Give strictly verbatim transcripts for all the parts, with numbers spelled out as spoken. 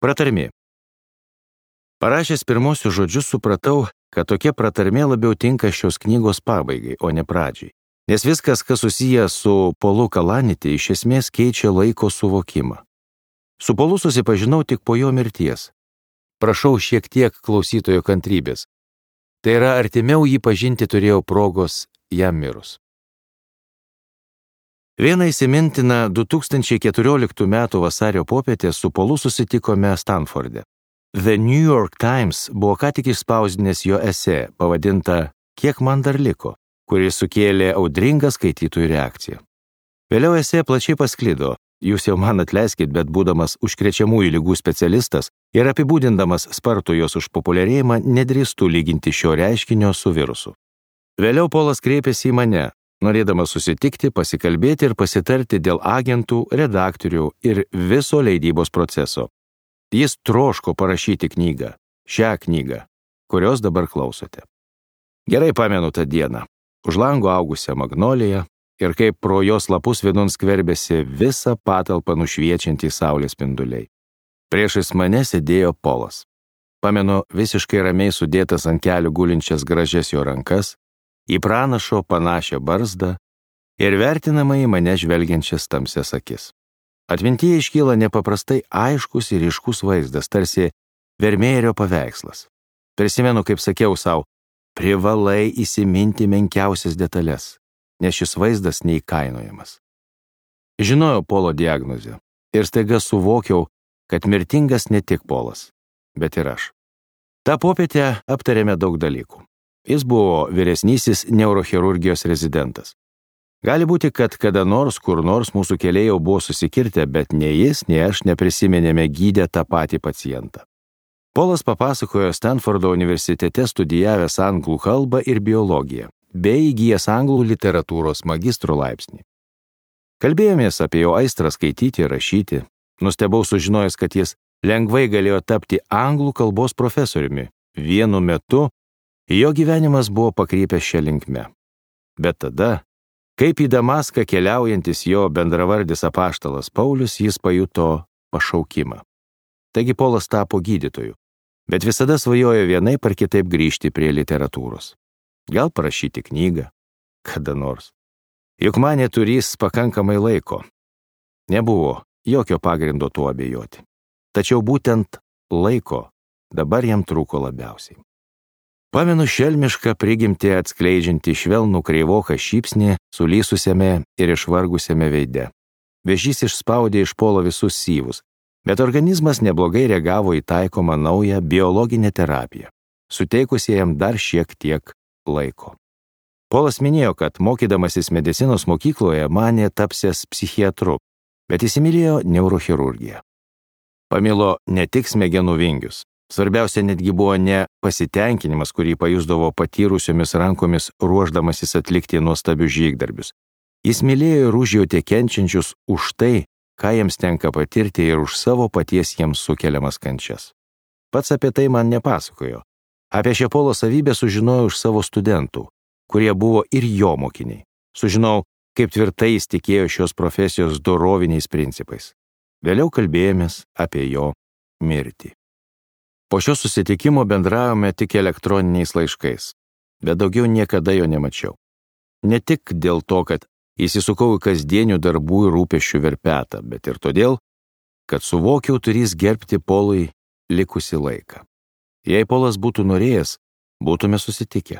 Pratarmė. Parašęs pirmosius žodžius supratau, kad tokia pratarmė labiau tinka šios knygos pabaigai, o ne pradžiai. Nes viskas, kas susiję su Polu Kalaniti, iš esmės keičia laiko suvokimą. Su Polu susipažinau tik po jo mirties. Prašau šiek tiek klausytojo kantrybės. Tai yra, artimiau jį pažinti turėjau progos jam mirus. Vieną įsimintiną du tūkstančiai keturioliktų metų vasario popietę su Polu susitikome Stanforde. The New York Times buvo ką tik išspausdinęs jo esė, pavadinta "Kiek man dar liko", kuris sukėlė audringą skaitytojų reakciją. Vėliau esė plačiai pasklido. Jūs jau man atleiskit, bet būdamas užkrečiamųjų ligų specialistas ir apibūdindamas spartų jos užpopuliarėjimą, nedrįstu lyginti šio reiškinio su virusu. Vėliau Polas kreipėsi į mane, norėdamas susitikti, pasikalbėti ir pasitarti dėl agentų, redaktorių ir viso leidybos proceso. Jis troško parašyti knygą, šią knygą, kurios dabar klausote. Gerai pamenu tą dieną. Už lango augusią magnoliją ir kaip pro jos lapus vidun skverbėsi visą patalpą nušviečiantį saulės spinduliai. Priešais mane sėdėjo Polas. Pamenu visiškai ramiai sudėtas ant kelių gulinčias gražias jo rankas, į pranašo panašią barzdą ir vertinamai į mane žvelgiančias tamsias akis. Atmintyje iškyla nepaprastai aiškus ir ryškus vaizdas, tarsi Vermeerio paveikslas. Prisimenu, kaip sakiau savo, privalai įsiminti menkiausias detalės, nes šis vaizdas neįkainojamas. Žinojau Polo diagnozę ir staiga suvokiau, kad mirtingas ne tik Polas, bet ir aš. Ta popietę aptarėme daug dalykų. Jis buvo vyresnysis neurochirurgijos rezidentas. Gali būti, kad kada nors, kur nors mūsų keliai jau buvo susikirtę, bet nei jis, nei aš neprisiminėme gydę tą patį pacientą. Polas papasakojo Stanfordo universitete studijavęs anglų kalbą ir biologiją, bei įgijęs anglų literatūros magistro laipsnį. Kalbėjomės apie jo aistrą skaityti ir rašyti. Nustebau sužinojęs, kad jis lengvai galėjo tapti anglų kalbos profesoriumi. Vienu metu jo gyvenimas buvo pakrypęs šią linkme. Bet tada, kaip į Damaską keliaujantis jo bendravardis apaštalas Paulius, jis pajuto pašaukimą. Taigi Polas tapo gydytoju, bet visada svajojo vienaip ar kitaip grįžti prie literatūros. Gal parašyti knygą, kada nors. Juk manė turės pakankamai laiko. Nebuvo jokio pagrindo tuo abejoti. Tačiau būtent laiko dabar jam trūko labiausiai. Pamenu šelmišką prigimtį atskleidžiantį švelnų kreivoką šypsnį sulysusiame ir išvargusiame veide. Vėžys išspaudė iš Polo visus syvus, bet organizmas neblogai reagavo į taikomą naują biologinę terapiją, suteikusi jam dar šiek tiek laiko. Polas minėjo, kad mokydamasis medicinos mokykloje manė tapsęs psichiatru, bet įsimylėjo neurochirurgiją. Pamilo ne tik smegenų vingius. Svarbiausia netgi buvo ne pasitenkinimas, kurį pajusdavo patyrusiomis rankomis ruošdamasis atlikti nuostabius žygdarbius. Jis mylėjo ir užjautė kenčiančius už tai, ką jiems tenka patirti ir už savo paties jiems sukeliamas kančias. Pats apie tai man nepasakojo. Apie šią Polo savybę sužinojau iš savo studentų, kurie buvo ir jo mokiniai. Sužinojau, kaip tvirtai jis tikėjo šios profesijos doroviniais principais. Vėliau kalbėjomės apie jo mirtį. Po šio susitikimo bendravome tik elektroniniais laiškais, bet daugiau niekada jo nemačiau. Ne tik dėl to, kad įsisukau į kasdienių darbų ir rūpesčių verpetą, bet ir todėl, kad suvokiau turys gerbti Polui likusį laiką. Jei Polas būtų norėjęs, būtume susitikę.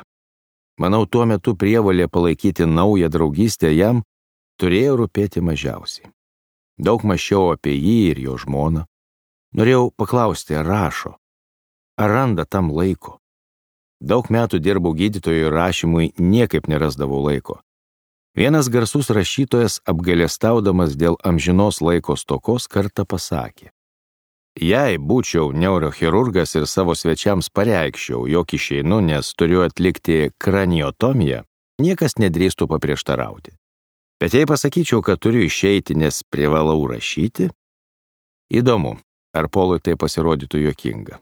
Manau, tuo metu prievolė palaikyti naują draugystę jam turėjo rūpėti mažiausiai. Daug mąsčiau apie jį ir jo žmoną. Norėjau paklausti, ar rašo, ar randa tam laiko. Daug metų dirbau gydytojų ir rašymui niekaip nerasdavau laiko. Vienas garsus rašytojas, apgailestaudamas dėl amžinos laiko stokos, kartą pasakė: jei būčiau neurochirurgas ir savo svečiams pareikščiau, jog išeinu, nes turiu atlikti kraniotomiją, niekas nedrįstų paprieštarauti. Bet jei pasakyčiau, kad turiu išeiti, nes privalau rašyti, įdomu, ar Polui tai pasirodytų juokinga.